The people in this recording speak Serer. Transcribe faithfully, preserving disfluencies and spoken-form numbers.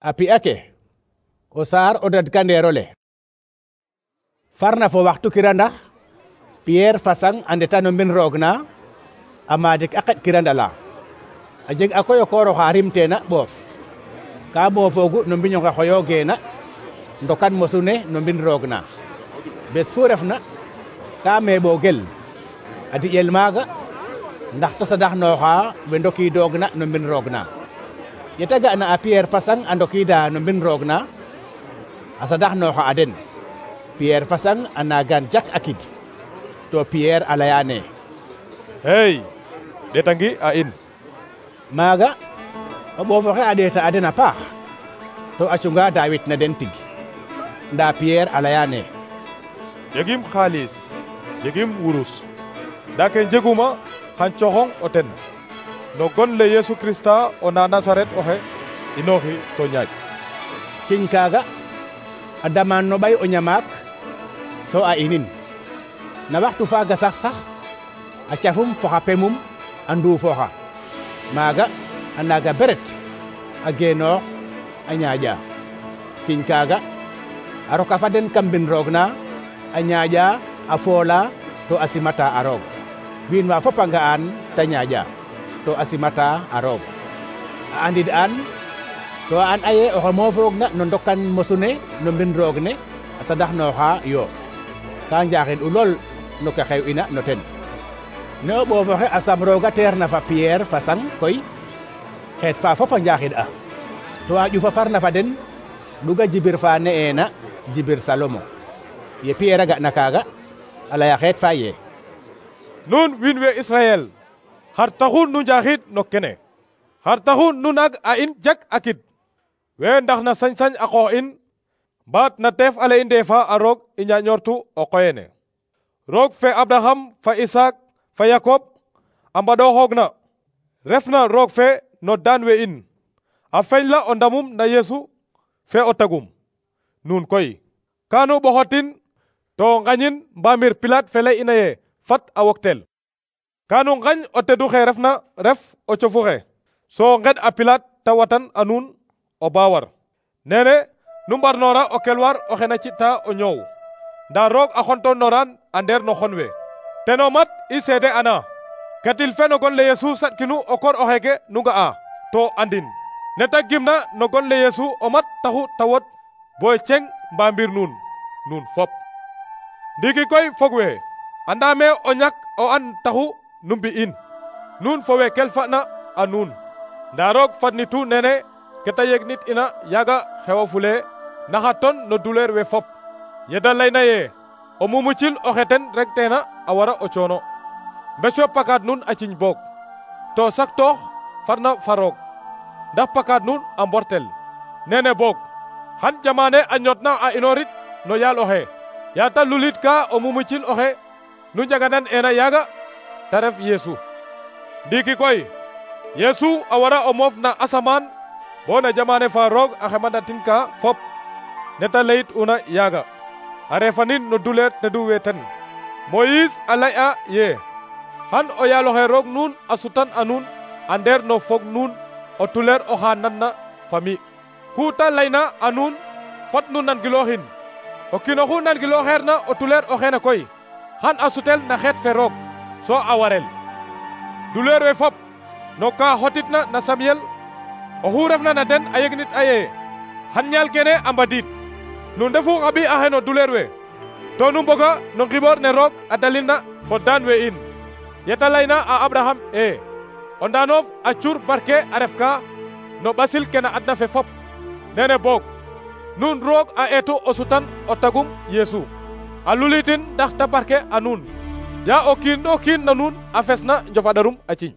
a pi'a ke o saar o dadkandeer ole farna fo waxtu kirandax Pierre fa sang a ndeta no mbin roog na a maadik a qeɗ kirandala a jeg a koy o koor oxa rimteena ɓoof ka moofoogu no mbiñ onge xoyoogeena ndokan mosu ne no mbin roog na bes fu refna ka meeɓoogel a diƴel maaga ndax ta sadaxnooxa we ndokiidoogna no mbin roog na yeta ga'na a Pierre fa sang a ndokiida no mbin roog na a sadaxnooxa a den Pierre fa sang a naagan jak a kid to Pierre a layaane hey ɗetangi a in maaga o ɓoof oxe a ɗeeta a den a paax to a cunga daawit na den tig ndaa Pierre a layaane jegim xaalis jegim wurus ndaa ke jeguma xan coxong o ten no gon le Yesu Krista o na Nasaret oxe inooxi to ñaaj ciñ kaaga a damaan no ɓay o ñamaak so a inin na waxtu faaga sax sax a cafum fo xa pemum a nduufooxa maaga a naaga beret a geenoox a ñaaƴa ciñ kaaga a roka fa den kam mbin roog na a ñaaƴa a foola to a simata a roog wiin wa fop a nga'an ta ñaaƴa to a simata a roog a andid an to a an aye oxe moofoogna no ndokan mosu ne no mbin roog ne a sadaxnooxa yo ka njaaxin u lool no ke xew ina no ten ne o ɓoof oxe a sam rooga teer na fa Pierre fa sang koy xeet fa fop a njaaxid a to a ƴufa farna fa den ɗuga jibir fa ne'eena jibir Salomo ye Pierre a ga'na kaaga a laya xeet fa ye nuun wiin we Israel xar taxu nu njaaxid no kene xar taxu nu naag a in jak a kid we ndax na sañ-sañ a qoox in mbaat na teef ale i ndeefa a roog i ñaaƴoortu o qoyene roog fe Abraham fa Isaac fa Yakob a mbaɗooxoogna refna roog fe no daan we in a feñla o ndamum na Yesu fe o tagum nuun koy kanu ɓoxotin to ngañin mbamir Pilaat fe lay ina ye fat a woktel kanu ngañ o tedu xe refna ref o cofu xe so nged a Pilaat ta watan a nuun o baawar nene nu mbarnoora o kelwar oxe na ci'ta o ñoow ndaa roog a xontonoran a ndeer no xon we teno mat i seede ana ketil fe no gon le Yesu saɗkinu o koor oxeeke nu nga'a to andin ne ta gimna no gon le Yesu o mat taxu ta wod boy ceng mbamir nuun nuun fop ndiiki koy fog we andame o ñak o an taxu nu mbi'in nuun fo we kelfa'na a nuun ndaa roog fadnitu nene ke ta yegnit ina yaaga xewafule naxa ton no douleur we fop yeda layna ye o mumucil oxe ten rek teena a wara o coono mbeco pakaad nuun a ciñ boog to saktoox farna fa roog ndax pakaad nuun a mbortel nene boog xan jamane a ñotna a inoorit no yaal oxe yaa ta lulit ka o mumucil oxe nu njaganan eena yaaga ta ref Yesu ndiiki koy Yesu a wara o moof na asamaan bo na jamane fa roog a xemanatin ka fop neta layit una yaaga a refanin no douleur tedu we ten Moïse a lay'a ye xan o yaaloxe roog nuun a sutan a nuun a ndeer no fog nuun o tuleer oxa nanna fami ku ta layna a nuun fat nu nangilooxin o kiin oxu nangilooxeerna o tuleer oxeene koy xan a sutel na xeet fe roog so a warel douleur we fop no ka xotitna na Samuel oxu refna na den a yegnit a ye xan ñaal kene a mbadiid nu ndefu xa ɓi axe no douleur we to nu mboga no ngiboor ne roog a dalilna fo daan we in yeta layna a Abraham e o ndaanof a cur barke a ref ka no ɓasil ke na adna fe fop nene boog nuun roog a eetu o sutan o tagum Yesu a lulitin ndax ta barke a nuun ya o kiin o kiin na nuun a fesna njofaɗarum a ciñ